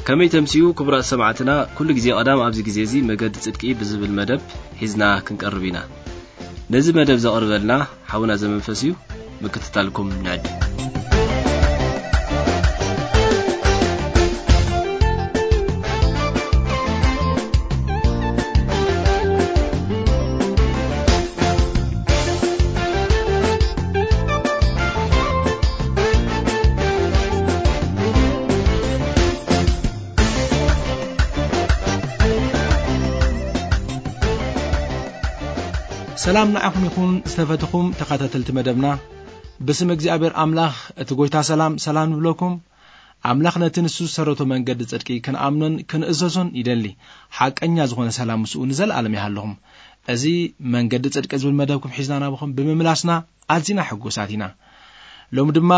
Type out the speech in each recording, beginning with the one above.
ከመይ ተምስዩ ክቡራት ሰማዕትና፣ ኩሉ ግዜ ቀዳም ኣብዚ ግዜ እዚ መገዲ ጽድቂ ብዝብል መደብ ሒዝና ክንቀርብ ኢና። ነዚ መደብ ዘቕርበልና ሓውና ዘመንፈስ እዩ። ምክትታልኩም ንዕድ። ሰላም ንዓኹም ይኹን ዝተፈትኹም ተኸታተልቲ መደብና። ብስም እግዚኣብሔር ኣምላኽ እቲ ጎይታ ሰላም፣ ሰላም ንብለኩም። ኣምላኽ ነቲ ንሱ ዝሰረቶ መንገዲ ጽድቂ ክንኣምኖን ክንእዘዞን ይደሊ። ሓቀኛ ዝኾነ ሰላም ምስኡ ንዘለኣለም ይሃለኹም። እዚ መንገዲ ጽድቂ ዝብል መደብኩም ሒዝና ናብኹም ብምምላስና ኣዚና ሕጉሳት ኢና። ሎሚ ድማ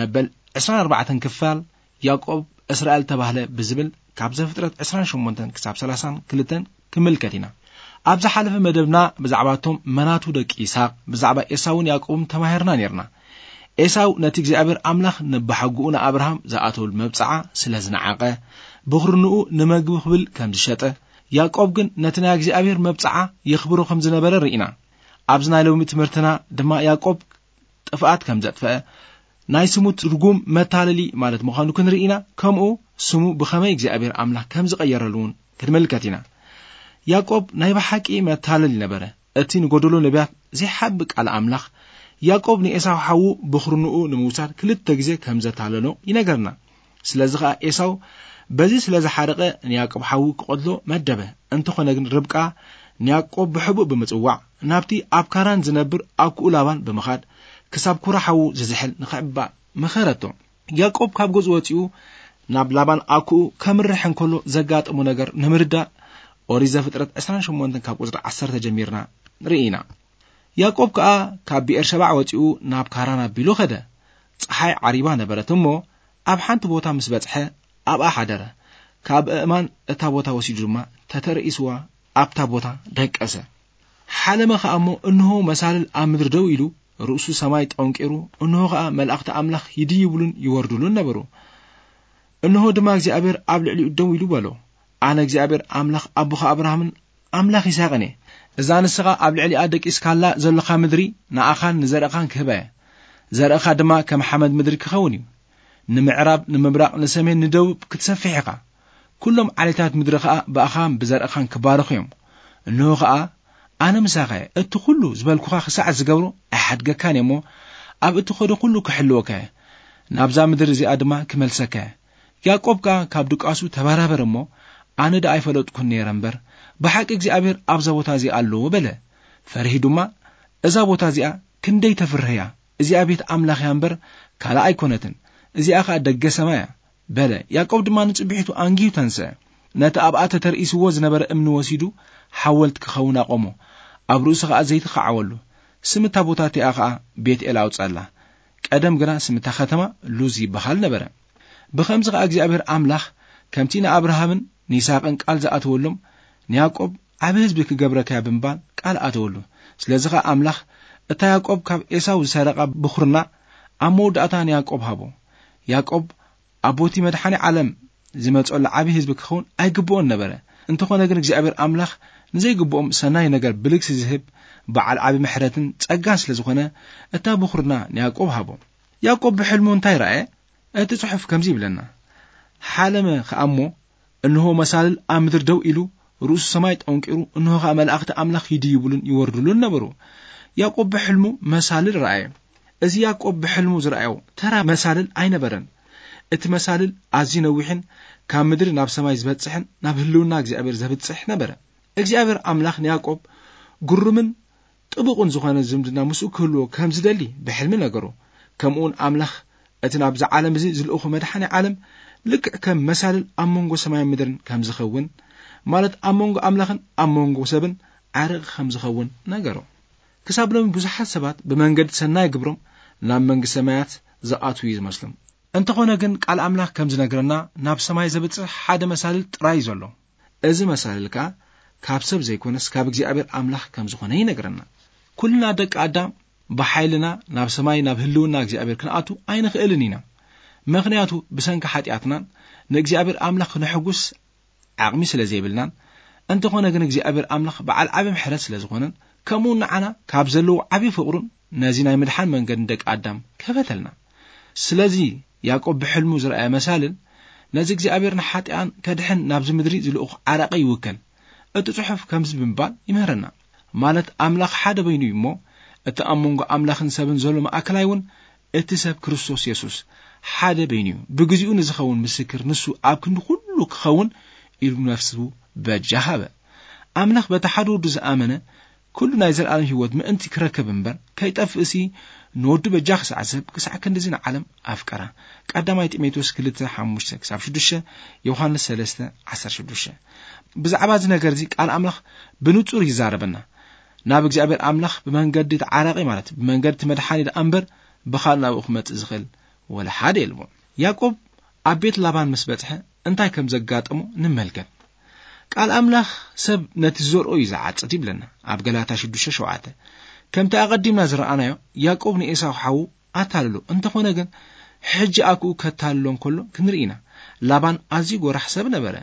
መበል ዕስራን ኣርባዕተን ክፋል ያዕቆብ እስራኤል ተባህለ ብዝብል ካብ ዘፍጥረት ዕስራን ሸሞንተን ክሳብ ሰላሳን ክልተን ክምልከት ኢና። ኣብ ዝሓለፈ መደብና ብዛዕባ እቶም መናቱ ደቂ ይስሐቅ፣ ብዛዕባ ኤሳውን ያዕቆብን ተማሂርና ኔርና። ኤሳው ነቲ እግዚኣብሔር ኣምላኽ ንበሓጉኡ ንኣብርሃም ዝኣተወሉ መብጽዓ ስለ ዝነዓቐ፣ ብኹርንኡ ንመግቢ ክብል ከም ዝሸጠ፣ ያዕቆብ ግን ነቲ ናይ እግዚኣብሔር መብጽዓ የኽብሮ ከም ዝነበረ ርኢና። ኣብዚ ናይ ሎሚ ትምህርትና ድማ ያዕቆብ ጥፍኣት ከም ዘጥፈአ፣ ናይ ስሙ ትርጉም መታለሊ ማለት ምዃኑ ክንርኢ ኢና። ከምኡ ስሙ ብኸመይ እግዚኣብሔር ኣምላኽ ከም ዝቐየረሉ እውን ክንምልከት ኢና። ያዕቆብ ናይ ብሓቂ መታለሊ ነበረ። እቲ ንጎደሎ ነቢያት ዘይሓቢ ቃል ኣምላኽ፣ ያዕቆብ ንኤሳው ሓዉ ብኹርንኡ ንምውሳድ ክልተ ግዜ ከም ዘታለሎ ይነገርና። ስለዚ ኸኣ ኤሳው በዚ ስለ ዝሓረቐ ንያዕቆብ ሓዉ ክቐትሎ መደበ። እንተኾነ ግን ርብቃ ንያዕቆብ ብሕቡእ ብምጽዋዕ ናብቲ ኣብ ካራን ዝነብር ኣኩኡ ላባን ብምኻድ ክሳብ ኩራ ሓዉ ዝዝሕል ንኽዕባ መኸረቶ። ያዕቆብ ካብ ገዝኡ ወጺኡ ናብ ላባን ኣኩኡ ከምርሕ እንከሎ ዘጋጠሞ ነገር ንምርዳእ ኦሪት ዘፍጥረት ዕስራን ሸሞንተን ካብ ቁጽሪ ዓሰርተ ጀሚርና ንርኢ ኢና። ያዕቆብ ከኣ ካብ ብኤርሸባዕ ወጺኡ ናብ ካራን ኣቢሉ ኸደ። ጸሓይ ዓሪባ ነበረት እሞ ኣብ ሓንቲ ቦታ ምስ በጽሐ ኣብኣ ሓደረ። ካብ ኣእማን እታ ቦታ ወሲዱ ድማ ተተርኢስዋ ኣብታ ቦታ ደቀሰ። ሓለመ ኸኣ እሞ እንሆ መሳልል ኣብ ምድሪ ደው ኢሉ ርእሱ ሰማይ ጠንቂሩ፣ እንሆ ኸኣ መላእኽቲ ኣምላኽ ይድይብሉን ይወርድሉን ነበሩ። እንሆ ድማ እግዚኣብሔር ኣብ ልዕሊኡ ደው ኢሉ በሎ፣ ኣነ እግዚኣብሔር ኣምላኽ ኣቦኻ ኣብርሃምን ኣምላኽ ይስሐቅን እየ። እዛ ንስኻ ኣብ ልዕሊኣ ደቂስካላ ዘለኻ ምድሪ ንኣኻን ንዘርእኻን ክህባ እየ። ዘርእኻ ድማ ከም ሓመድ ምድሪ ክኸውን እዩ። ንምዕራብ፣ ንምብራቕ፣ ንሰሜን፣ ንደቡብ ክትሰፍሕ ኢኻ። ኩሎም ዓሌታት ምድሪ ኸኣ ብኣኻን ብዘርእኻን ክባረኹ እዮም። እንሆ ኸኣ ኣነ ምሳኻ እየ። እቲ ኹሉ ዝበልኩኻ ክሳዕ ዝገብሮ ኣይሓድገካን እየ እሞ፣ ኣብ እትኸዶ ኹሉ ክሕልወካ እየ። ናብዛ ምድሪ እዚኣ ድማ ክመልሰካ እየ። ያዕቆብ ከኣ ካብ ድቃሱ ተበራበረ እሞ፣ ኣነ ደኣ ኣይፈለጥኩን ነይረ እምበር፣ ብሓቂ እግዚኣብሔር ኣብዛ ቦታ እዚኣ ኣለዎ በለ። ፈሪሁ ድማ፣ እዛ ቦታ እዚኣ ክንደይ ተፍርህ እያ! እዚኣ ቤት ኣምላኽ እያ እምበር ካልእ ኣይኮነትን፣ እዚኣ ኸኣ ደገ ሰማይ እያ በለ። ያዕቆብ ድማ ንጽብሒቱ ኣንጊሁ ተንስአ። ነቲ ኣብኣ ተተርኢስዎ ዝነበረ እምኒ ወሲዱ ሓወልቲ ክኸውን ኣቖሞ። ኣብ ርእሱ ኸኣ ዘይቲ ኸዓወሉ። ስም እታ ቦታ እቲኣ ኸኣ ቤት-ኤል ኣውጸኣላ። ቀደም ግና ስም እታ ኸተማ ሉዝ ይበሃል ነበረ። ብኸምዚ ኸኣ እግዚኣብሔር ኣምላኽ ከምቲ ንኣብርሃምን ንይስሃቅን ቃል ዝኣተወሎም ንያዕቆብ ዓቢ ህዝቢ ክገብረካ እያ ብምባል ቃል ኣተወሉ። ስለዚ ኸኣ ኣምላኽ እታ ያዕቆብ ካብ ኤሳው ዝሰረቓ ብኹርና ኣብ መወዳእታ ንያዕቆብ ሃቦ። ያዕቆብ ኣቦቲ መድሓኒ ዓለም ዝመጸሉ ዓቢ ህዝቢ ክኸውን ኣይግብኦን ነበረ። እንተኾነ ግን እግዚኣብሔር ኣምላኽ ንዘይግብኦም ሰናይ ነገር ብልግሲ ዝህብ በዓል ዓቢ ምሕረትን ጸጋን ስለ ዝኾነ እታ ብኹርና ንያዕቆብ ሃቦ። ያዕቆብ ብሕልሙ እንታይ ረኣየ? እቲ ጽሑፍ ከምዚ ይብለና፣ ሓለመ ኸኣ እሞ እንሆ መሳልል ኣብ ምድሪ ደው ኢሉ ርእሱ ሰማይ ጠንቂሩ፣ እንሆ ኸኣ መላእኽቲ ኣምላኽ ይድይብሉን ይወርድሉን ነበሩ። ያዕቆብ ብሕልሙ መሳልል ረኣየ። እዚ ያዕቆብ ብሕልሙ ዝረኣዮ ተራ መሳልል ኣይነበረን። እቲ መሳልል ኣዝዩ ነዊሕን ካብ ምድሪ ናብ ሰማይ ዝበጽሕን ናብ ህልውና እግዚኣብሔር ዘብጽሕ ነበረ። እግዚኣብሔር ኣምላኽ ንያዕቆብ ግሩምን ጥቡቕን ዝኾነ ዝምድና ምስኡ ክህልዎ ከም ዝደሊ ብሕልሚ ነገሮ። ከምኡውን ኣምላኽ እቲ ናብዚ ዓለም እዚ ዝልእኹ መድሓኒ ዓለም ልክዕ ከም መሳልል ኣብ መንጎ ሰማይን ምድርን ከም ዝኸውን፣ ማለት ኣብ መንጎ ኣምላኽን ኣብ መንጎ ሰብን ዓርቂ ከም ዝኸውን ነገሮ። ክሳብ ሎሚ ብዙሓት ሰባት ብመንገዲ ሰናይ ግብሮም ናብ መንግስቲ ሰማያት ዝኣትዉ እዩ ዝመስሎም። እንተኾነ ግን ቃል ኣምላኽ ከም ዝነግረና ናብ ሰማይ ዘብጽሕ ሓደ መሳልል ጥራይ እዩ ዘሎ። እዚ መሳልል ከኣ ካብ ሰብ ዘይኮነስ ካብ እግዚኣብሔር ኣምላኽ ከም ዝኾነ ይነግረና። ኩልና ደቂ ኣዳም ብሓይልና ናብ ሰማይ ናብ ህልውና እግዚኣብሔር ክንኣቱ ኣይንኽእልን ኢና። ምኽንያቱ ብሰንኪ ሓጢኣትናን ንእግዚኣብሔር ኣምላኽ ክነሕጉስ ዓቕሚ ስለ ዘይብልናን፣ እንተኾነ ግን እግዚኣብሔር ኣምላኽ በዓል ዓቢ ምሕረት ስለ ዝኾነን፣ ከምኡ ንዓና ካብ ዘለዎ ዓቢ ፍቕሩን ነዚ ናይ ምድሓን መንገድን ደቂ ኣዳም ከፈተልና። ስለዚ ያዕቆብ ብሕልሙ ዝረኣየ መሳልን ነዚ እግዚኣብሔር ንሓጢኣን ከድሕን ናብዚ ምድሪ ዝልእኹ ዓራቂ ይውከል። እቲ ጽሑፍ ከምዚ ብምባል ይምህረና፣ ማለት ኣምላኽ ሓደ በይኑ እዩ እሞ፣ እቲ ኣብ መንጎ ኣምላኽን ሰብን ዘሎ ማእከላይ እውን እቲ ሰብ ክርስቶስ የሱስ ሓደ በይኑ እዩ። ብግዚኡ ንዝኸውን ምስክር ንሱ ኣብ ክንዲ ኩሉ ክኸውን ኢሉ ነፍሱ በጃ ሃበ። ኣምላኽ በቲ ሓደ ወዱ ዝኣመነ ኩሉ ናይ ዘለኣለም ህይወት ምእንቲ ክረክብ እምበር ከይጠፍእሲ፣ ንወዱ በጃ ክሳዕ ዝህብ ክሳዕ ክንድዚ ንዓለም ኣፍቀራ። ቀዳማይ ጢሞቴዎስ ክልተ ሓሙሽተ ክሳብ ሽዱሽተ፣ ዮሃንስ ሰለስተ ዓሰርተ ሽዱሽተ። ብዛዕባ እዚ ነገር እዚ ቃል ኣምላኽ ብንጹር ይዛረበና። ናብ እግዚኣብሔር ኣምላኽ ብመንገዲ ተዓራቂ፣ ማለት ብመንገዲ እቲ መድሓኒ ደኣ እምበር ብኻልእ ናብኡ ክመጽእ ዝኽእል ወላ ሓደ የልቦን። ያዕቆብ ኣብ ቤት ላባን ምስ በጽሐ እንታይ ከም ዘጋጠሞ ንመልከት። ቃል ኣምላኽ ሰብ ነቲ ዝዘርኦ እዩ ዝዓጽድ ይብለና ኣብ ገላትያ ሽዱሽተ ሸውዓተ። ከምቲ ኣቐዲምና ዝረኣናዮ፣ ያዕቆብ ንኤሳው ሓዉ ኣታልሎ። እንተኾነ ግን ሕጂ ኣክኡ ከታልሎ እንከሎ ክንርኢ ኢና። ላባን ኣዝዩ ጎራሕ ሰብ ነበረ።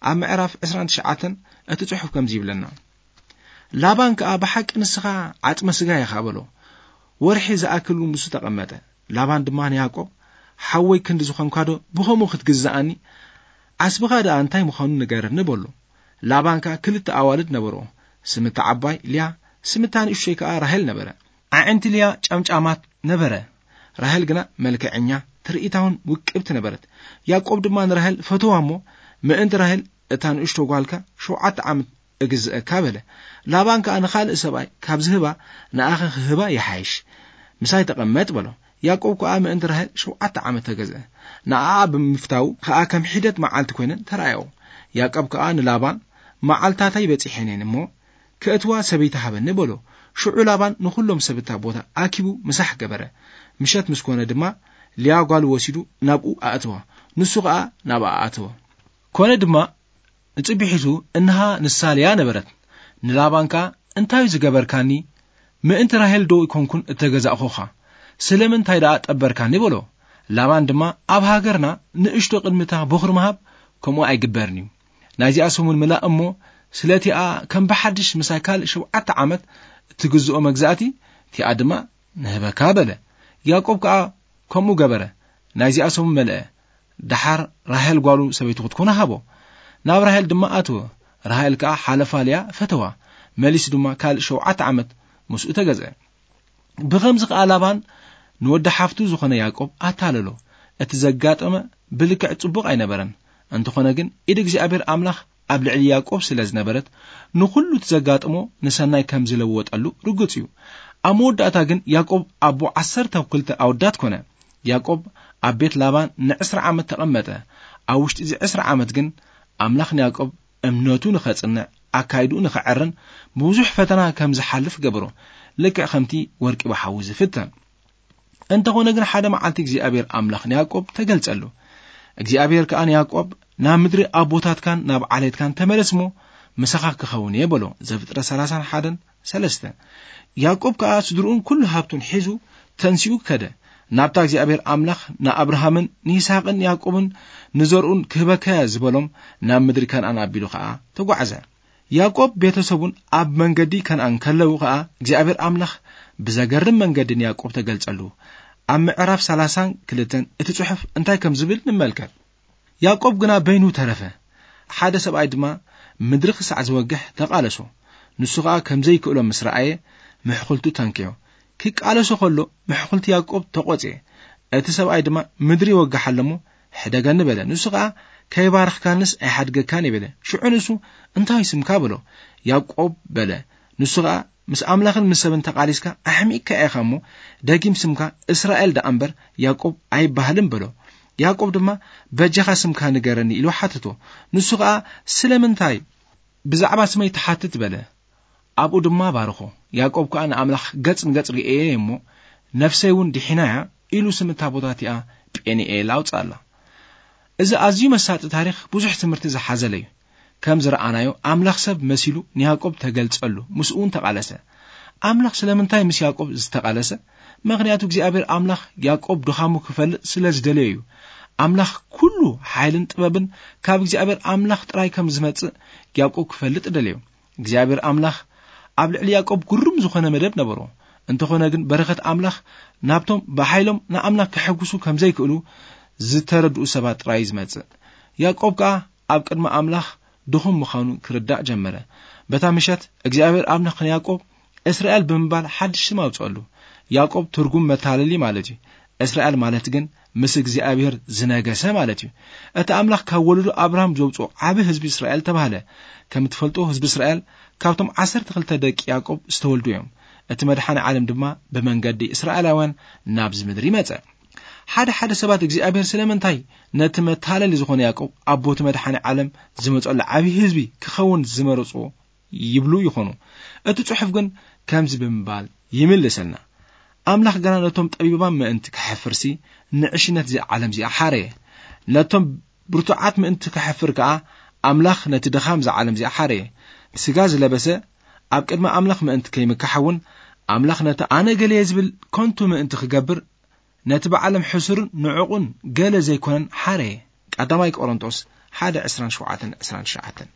ኣብ ምዕራፍ ዕስራን ትሽዓተን እቲ ጽሑፍ ከምዚ ይብለና፣ ላባን ከኣ ብሓቂ ንስኻ ዓጽመ ስጋ ኢኻ በሎ። ወርሒ ዝኣክል እውን ምስኡ ተቐመጠ። ላባን ድማ ንያዕቆብ፣ ሓወይ ክንዲ ዝኾንካዶ ብኸምኡ ክትግዝኣኒ? ዓስብኻ ደኣ እንታይ ምዃኑ ንገረኒ በሎ። ላባን ከኣ ክልተ ኣዋልድ ነበርኦ። ስምታ ዓባይ ልያ፣ ስምታ ንእሽቶይ ከኣ ራሄል ነበረ። ኣዒንቲ ልያ ጨምጫማት ነበረ። ራሄል ግና መልክዐኛ፣ ትርኢታውን ውቅብቲ ነበረት። ያዕቆብ ድማ ንራሄል ፈተዋ እሞ፣ ምእንቲ ራሄል እታ ንእሽቶ ጓልካ ሸውዓተ ዓመት እግዝአካ በለ። ላባን ከኣ ንኻልእ ሰብኣይ ካብ ዝህባ ንኣኸ ክህባ ይሓይሽ። ምሳይ ተቐመጥ በሎ። ያዕቆብ ከኣ ምእንቲ ራሄል ሸውዓተ ዓመት ተገዝአ። ንኣኣ ብምፍታው ከኣ ከም ሒደት መዓልቲ ኮይነን ተራእያኦ። ያዕቆብ ከኣ ንላባን መዓልታተይ በጺሐን እየን እሞ፣ ከእትዋ ሰበይቲ ሃበኒ በሎ። ሽዑ ላባን ንኹሎም ሰብ እታ ቦታ ኣኪቡ ምሳሕ ገበረ። ምሸት ምስ ኮነ ድማ ልያ ጓሉ ወሲዱ ናብኡ ኣእተዋ። ንሱ ኸኣ ናብኣ ኣተወ። ኮነ ድማ ንጽቢሒቱ እንሃ ንሳ ልያ ነበረት። ንላባን ከኣ እንታይ ዝገበርካኒ? ምእንቲ ራሄል ዶ ኣይኮንኩን እተገዛእኹኻ? ስለምንታይ ደኣ ጠበርካኒ በሎ። ላባን ድማ ኣብ ሃገርና ንእሽቶ ቅድሚታ ቦኽሪ ምሃብ ከምኡ ኣይግበርን እዩ። ናይዚኣ ሰሙን ምላእ እሞ ስለቲኣ ከም ብሓድሽ ምሳይ ካልእ ሸውዓተ ዓመት እትግዝኦ መግዛእቲ እቲኣ ድማ ንህበካ በለ። ያዕቆብ ከኣ ከምኡ ገበረ። ናይዚኣ ሰሙን መልአ። ደሓር ራሄል ጓሉ ሰበይቱ ክትኮነ ሃቦ። ናብ ራሄል ድማ ኣትወ። ራሄል ከኣ ሓለፋ ልያ ፈተዋ። መሊሱ ድማ ካልእ ሸውዓተ ዓመት ምስኡ ተገዝአ። ብኸምዚ ከኣ ላባን ንወዲ ሓፍቱ ዝኾነ ያዕቆብ ኣታለሎ። እቲ ዘጋጠመ ብልክዕ ጽቡቕ ኣይነበረን። እንተኾነ ግን ኢድ እግዚኣብሔር ኣምላኽ ኣብ ልዕሊ ያዕቆብ ስለ ዝነበረት ንኹሉ እቲ ዘጋጠሞ ንሰናይ ከም ዝለወጠሉ ርጉጽ እዩ። ኣብ መወዳእታ ግን ያዕቆብ ኣቦ ዓሰርተ ክልተ ኣወዳት ኮነ። ያዕቆብ ኣብ ቤት ላባን ንዕስራ ዓመት ተቐመጠ። ኣብ ውሽጢ እዚ ዕስራ ዓመት ግን ኣምላኽ ንያዕቆብ እምነቱ ንኸጽንዕ፣ ኣካይድኡ ንኸዐርን ብብዙሕ ፈተና ከም ዝሓልፍ ገበሮ። ልክዕ ከምቲ ወርቂ ብሓዊ ዝፍተን። እንተኾነ ግን ሓደ መዓልቲ እግዚኣብሔር ኣምላኽ ንያዕቆብ ተገልጸሉ። እግዚኣብሔር ከኣ ንያዕቆብ ናብ ምድሪ ኣቦታትካን ናብ ዓሌትካን ተመለስ እሞ ምሳኻ ክኸውን እየ በሎ። ዘፍጥረት ሰላሳን ሓደን ሰለስተ። ያዕቆብ ከኣ ስድርኡን ኩሉ ሃብቱን ሒዙ ተንሲኡ ከደ። ናብታ እግዚኣብሔር ኣምላኽ ንኣብርሃምን ንይስሐቅን ንያዕቆብን ንዘርኡን ክህበካያ ዝበሎም ናብ ምድሪ ከነኣን ኣቢሉ ከኣ ተጓዕዘ። ያዕቆብ ቤተሰቡን ኣብ መንገዲ ከነኣን ከለዉ ከኣ እግዚኣብሔር ኣምላኽ ብዘገርም መንገዲ ንያዕቆብ ተገልጸሉ። ኣብ ምዕራፍ ሰላሳን ክልተን እቲ ጽሑፍ እንታይ ከም ዝብል ንመልከት። ያዕቆብ ግና በይኑ ተረፈ። ሓደ ሰብኣይ ድማ ምድሪ ክሳዕ ዝወግሕ ተቓለሶ። ንሱ ኸኣ ከም ዘይክእሎ ምስ ረኣየ ምሕኹልቱ ተንክዮ። ክቃለሶ ኸሎ ምሕኹልቲ ያዕቆብ ተቖጽየ። እቲ ሰብኣይ ድማ ምድሪ ይወግሕ ኣሎ እሞ ሕደገኒ በለ። ንሱ ኸኣ ከይባረኽካንስ ኣይሓድገካን እየ በለ። ሽዑ ንሱ እንታይ ስምካ በሎ። ያዕቆብ በለ። ንሱ ኸኣ ምስ ኣምላኽን ምስ ሰብን ተቓሊስካ ኣሕሚቕካ ኢኻ እሞ ደጊም ስምካ እስራኤል ደኣ እምበር ያዕቆብ ኣይበሃልን በሎ። ያዕቆብ ድማ በጃኻ ስምካ ንገረኒ ኢሉ ሓተቶ። ንሱ ኸኣ ስለምንታይ ብዛዕባ ስመይ ትሓትት በለ። ኣብኡ ድማ ባርኾ። ያዕቆብ ከኣ ንኣምላኽ ገጽ ንገጽ ርእየ እሞ ነፍሰይ እውን ድሒና እያ ኢሉ ስም እታ ቦታ እቲኣ ጴኒኤል ኣውጽኣላ። እዚ ኣዝዩ መሳጢ ታሪኽ ብዙሕ ትምህርቲ ዝሓዘለ እዩ። ከም ዝረኣናዮ ኣምላኽ ሰብ መሲሉ ንያዕቆብ ተገልጸሉ፣ ምስኡ እውን ተቓለሰ። ኣምላኽ ስለምንታይ ምስ ያዕቆብ ዝተቓለሰ? ምኽንያቱ እግዚኣብሔር ኣምላኽ ያዕቆብ ድኻሙ ክፈልጥ ስለ ዝደለዮ እዩ። ኣምላኽ ኩሉ ሓይልን ጥበብን ካብ እግዚኣብሔር ኣምላኽ ጥራይ ከም ዝመጽእ ያዕቆብ ክፈልጥ ደለዮ። እግዚኣብሔር ኣምላኽ ኣብ ልዕሊ ያዕቆብ ግሩም ዝኾነ መደብ ነበሮ። እንተኾነ ግን በረኸት ኣምላኽ ናብቶም ብሓይሎም ንኣምላኽ ከሐጉሱ ከም ዘይክእሉ ዝተረድኡ ሰባት ጥራይ እዩ ዝመጽእ። ያዕቆብ ከኣ ኣብ ቅድሚ ኣምላኽ ድኹም ምዃኑ ክርዳእ ጀመረ። በታ ምሸት እግዚኣብሔር ኣምላኽ ንያዕቆብ እስራኤል ብምባል ሓድሽ ስም ኣውጽኣሉ። ያዕቆብ ትርጉም መታለሊ ማለት እዩ። እስራኤል ማለት ግን ምስ እግዚኣብሔር ዝነገሰ ማለት እዩ። እቲ ኣምላኽ ካብ ወለዶ ኣብርሃም ዘውጽኦ ዓቢ ህዝቢ እስራኤል ተባህለ። ከም እትፈልጦ ህዝቢ እስራኤል ካብቶም ዓሰርተ ክልተ ደቂ ያዕቆብ ዝተወልዱ እዮም። እቲ መድሓኒ ዓለም ድማ ብመንገዲ እስራኤላውያን ናብዚ ምድሪ መጸ። ሓደ ሓደ ሰባት እግዚኣብሔር ስለምንታይ ነቲ መታለሊ ዝኾነ ያዕቆብ ኣቦቲ መድሓኒ ዓለም ዝመጸሉ ዓቢ ህዝቢ ክኸውን ዝመረጽዎ ይብሉ ይኾኑ። እቲ ጽሑፍ ግን ከምዚ ብምባል ይምልሰልና። ኣምላኽ ግና ነቶም ጠቢባን ምእንቲ ከሕፍርሲ ንዕሽነት እዚኣ ዓለም እዚኣ ሓረየ። ነቶም ብርቱዓት ምእንቲ ከሕፍር ከኣ ኣምላኽ ነቲ ድኻም እዛ ዓለም እዚኣ ሓረየ። ስጋ ዝለበሰ ኣብ ቅድሚ ኣምላኽ ምእንቲ ከይምካሕ እውን ኣምላኽ ነቲ ኣነ ገለየ ዝብል ከንቱ ምእንቲ ክገብር ነቲ ብዓለም ሕሱርን ንዑቕን ገለ ዘይኮነን ሓረየ። ቀዳማይ ቆሮንቶስ ሓደ ዕስራን ሸውዓተን ዕስራን ትሽዓተን።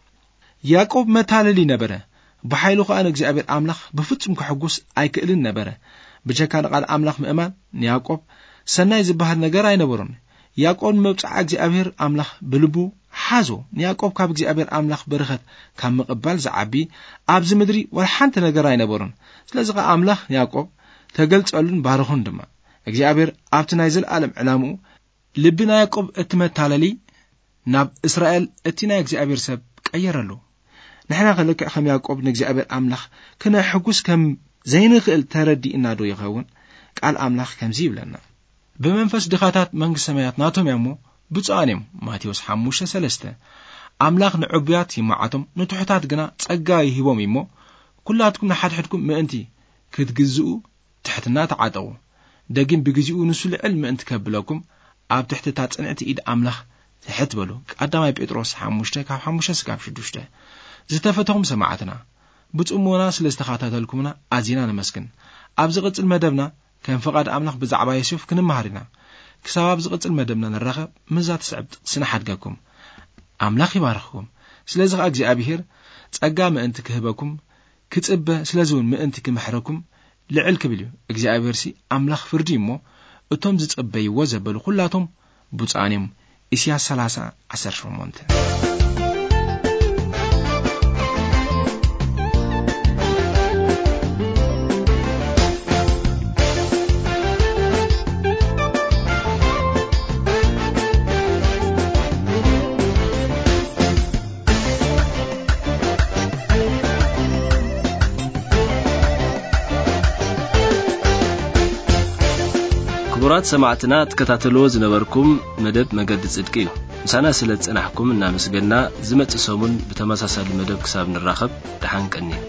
ያዕቆብ መታለሊ ነበረ። ብሓይሉ ከኣ ንእግዚኣብሔር ኣምላኽ ብፍጹም ከሐጉስ ኣይክእልን ነበረ። ብጀካ ንቓል ኣምላኽ ምእማን ንያዕቆብ ሰናይ ዝበሃል ነገር ኣይነበሮን። ያዕቆብ ንመብጽዓ እግዚኣብሔር ኣምላኽ ብልቡ ሓዞ። ንያዕቆብ ካብ እግዚኣብሔር ኣምላኽ በረኸት ካብ ምቕባል ዝዓቢ ኣብዚ ምድሪ ወላ ሓንቲ ነገር ኣይነበሮን። ስለዚ ኸኣ ኣምላኽ ንያዕቆብ ተገልጸሉን ባረኹን ድማ። እግዚኣብሔር ኣብቲ ናይ ዘለኣለም ዕላምኡ ልቢ ናይ ያዕቆብ እቲ መታለሊ ናብ እስራኤል እቲ ናይ እግዚኣብሔር ሰብ ቀየረሉ። ንሕና ከ ልክዕ ከም ያዕቆብ ንእግዚኣብሔር ኣምላኽ ክነሕጉስ ከም ዘይንኽእል ተረዲእና ዶ ይኸውን? ቃል ኣምላኽ ከምዚ ይብለና፣ "ብመንፈስ ድኻታት መንግስቲ ሰማያት ናቶም እያ እሞ ብፁዓን እዮም።" ማቴዎስ ሓሙሽተ ሰለስተ። ኣምላኽ ንዕቡያት ይመዓቶም፣ ንትሑታት ግና ጸጋ ይህቦም እዩ እሞ፣ ኩላትኩም ንሓድሕድኩም ምእንቲ ክትግዝኡ ትሕትና ተዓጠቑ። ደጊም ብግዜኡ ንሱ ልዕል ምእንቲ ከብለኩም፣ ኣብ ትሕቲ እታ ጽንዕቲ ኢድ ኣምላኽ ትሕት በሉ። ቀዳማይ ጴጥሮስ ሓሙሽተ ካብ ሓሙሽተ እስካብ ሽዱሽተ። ዝተፈተኹም ሰማዕትና፣ ብጽሞና ስለ ዝተኸታተልኩምና ኣዚና ነመስግን። ኣብ ዝቕጽል መደብና ከም ፍቓድ ኣምላኽ ብዛዕባ ዮሴፍ ክንመሃር ኢና። ክሳብ ኣብ ዝቕጽል መደብና ንራኸብ፣ ምስዛ ትስዕብ ጥቕሲ ንሓድገኩም። ኣምላኽ ይባርኽኩም። ስለዚ ኸኣ እግዚኣብሄር ጸጋ ምእንቲ ክህበኩም ክጽበ፣ ስለዚ እውን ምእንቲ ክምሕረኩም ልዕል ክብል እዩ። እግዚኣብሄርሲ ኣምላኽ ፍርዲ እዩ እሞ፣ እቶም ዝጸበይዎ ዘበሉ ኩላቶም ብፁዓን እዮም። ኢሳያስ ሰላሳ ዓሰርተ ሸሞንተ። ክቡራት ሰማዕትና፣ ትከታተልዎ ዝነበርኩም መደብ መገዲ ጽድቂ እዩ። ምሳና ስለ ዝጸናሕኩም እናመስገና፣ ዝመጽእ ሰሙን ብተመሳሳሊ መደብ ክሳብ ንራኸብ፣ ደሓን ቀንዩ።